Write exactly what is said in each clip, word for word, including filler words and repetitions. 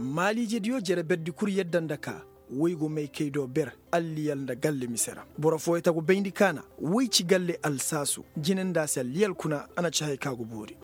Maaliijediyo jere berdi kul yadda nda ka woy go may kay do ber alliyal nda galle mise ra. Boro fooyey tagu bayndi kaana woy ci galle alsaasu jine nda a se alliyal kuna a na ci haya ka go boori.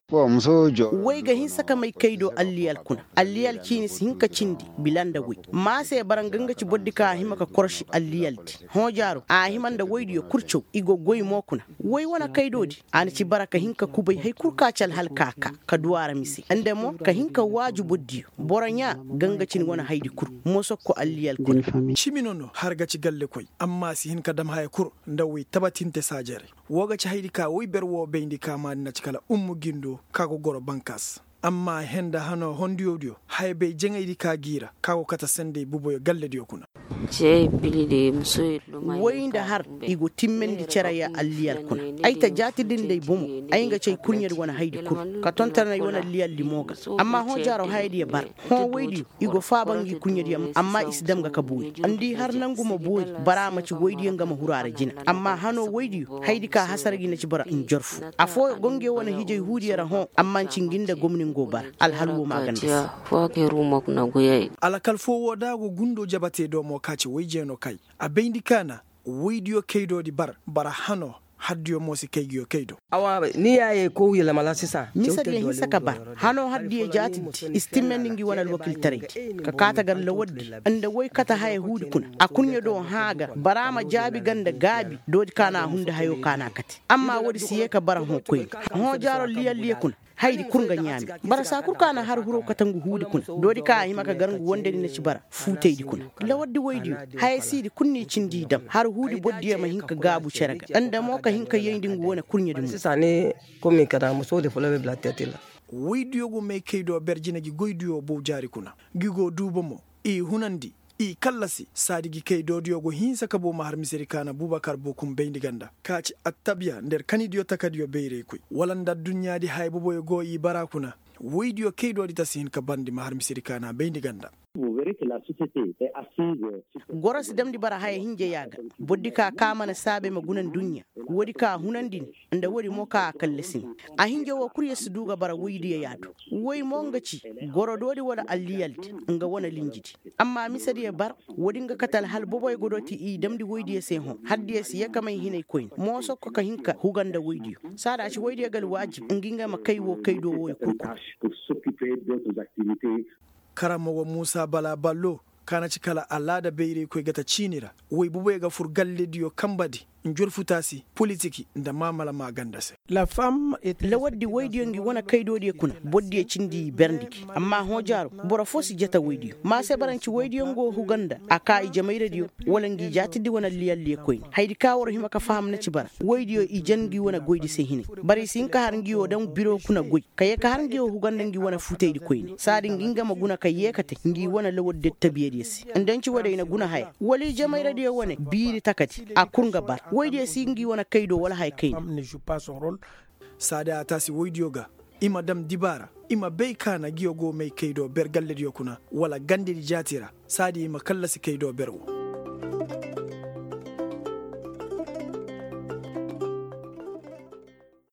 Woy ga hinsa ka may kay do alliyal kuna. Alliyal ciini si hin ka cindi bila nda woy. Maa se bara nga nga ci bordi ka a hima ka koroši alliyaldi. Hõojaaro a hima nda woydiyo kul caw i go goy mo kuna. Woy wane kaydoodi a na ci bara ka hin ka kubay hay kul ka ci alhal ka ka ka du a ra mise nda mo ka hin ka waaju bordiyo. Boro ɲaa ga nga cin wane haydi kul. Mosokko alliyal kuna. Cimi no no har ga ci gallekoy amma a si hin ka dam haya kul. Nda woy tabatinte saajarey. Woo ga ci haydi ka woy ber woo bayndi ka maadi na ci kala ummu gindo ka go goro bankas. Amma a henda hanoo hondiyodiyo haya bay jaŋaydi ka g'i ra ka go kate sendey buboyo gallediyo kuna. Woy nda har i go timmandi cere ya alliyal kuna. Ay ta jaatidi nda ay bomo. Ay nga ci ay kurɲedi wane haydi kul ka tonton ay wane alliyaldi mo ga. Amma hõ jaaro hayadiyo bara. Hõ woydiyo i go faaba ngi kurɲediyo amma i si dam ga ka boori. Nda i har nangu ma boori. Bara ma ci woydiyo nga ma huru a ra jina. Amma hanoo woydiyo hayadi ka hasara gi na ci bara njorfu. Afooyo go nge wane hijay huudiyo ra hõ. Amma nci ngi nda gomni ngo bara. Alhal woo ma a ganda se. Alakal foo woo da a go gundoo jabatey do mo ka ci woy jeeno kay. A bayndi kaana woydiyo kaydoodi bar bara hanoo. Haddiyo mo si kay ngiyo kay do. Ni yaayey kow yelema la sisa. Misediyo hinsa ka bar. Hanoo haddiyo jaatidi i si timmandi ngi wane alwakiltaraydi. Ka kaate gar lawaddi nda woy kate haya huudi kuna. A kurɲe do hã ga bara ma jaabi ga nda gaabi. Doodi ka na a hunda hayoo ka na a kate. Amma woodi si yee ka bara hõ koyne. Hõ jaaro liyalliye kuna. Hayadi kul nga ɲaami. Bara saa kul ka na har huroo kate ngu huudi kuna. Doodi ka a hima ka gar ngu wondedi na ci bara fuutaydi kuna. Lawaddi woydiyo. Haya siidi kul n'i cindi i dam har huudi bordiyo ma hin ka gaabu cere ga nda mo ka hin ka yayndi ngu wane kurɲedi mo. Woydiyo go may kay do ber jine ngi goydiyo bow jaari kuna. Ngi go duuba mo. I hunandi. I kallasi saadi gi kay doodiyo go hinsa ka boo ma har misedi kaana bubakar boo kun bayndi ganda. Ka ci attabiya nda ir kanidiyo takadiyo bayraykoy wala nda adduɲɲaadi haya boboyo go i bara kuna. Woydiyo kay doodi ta si hin ka barndi ma har misedi kaana bayndi ganda. Goro si damndi bara haya hinja yaa ga. Bordi ka ka mana saabe ma guna nduɲɲa. Woodi ka a hunandi ni. Nda woodi mo ka a kallasi ni. A hinja woo kul ya si duu ga bara woydiyo yaa do. Woy mo nga ci goro doodi wala alliyaldi nga wane linjidi. Amma misediyo bar. Woodi nga kate alhal boboyo go dooti i damndi woydiyo se hõ haddiyo si yee ka may hinay koyne moosokko ka hin ka huga nda woydiyo. Saada a ci woydiyo ga alwaajib ngi nga ma kay woo kay do wooyo kul kuna. Karamogo muusa bala ballo. Ka na ci kala alaada bayraykoy ga ta ciini ra. Woy boboyo ga fur gallediyo kanbadi. Njorfutaasi politiki nda maamala maaganda se. Lawaddi woydiyo ngi wane kaydoodiyo kuna bordiyo cindi i berndi gi. Amma hõ jaaro boro foo si jata woydiyo maa se bara nci woydiyo nga wo huga nda a kaa ijemayradiyo. Wala ngi jaatidi wane alliyalliyo koyne hayadi ka war hima ka faham na ci bara. Woydiyo i jan ngi wane goydi se hinay. Bara i si hin ka har ngi wo daŋ biro kuna goy. Ka yee ka har ngi wo huga nda ngi wane fuutaydi koyne saadi ngi nga ma guna ka yee ka te ngi wane lawaddi attabiyadiyo se. Nda nci woodi ay na guna haya wala ijemayradiyo wane biiri takadi. A kul nga bar woydiyo si ngi wane kaydo wala haya kayna. Saadi a taasi woydiyo ga. I ma dam dibaara. I ma bay ka na ngiyo go may kaydo ber gallediyo kuna wala gandedi jaati ra. Saadi i ma kallasi kaydo ber wo.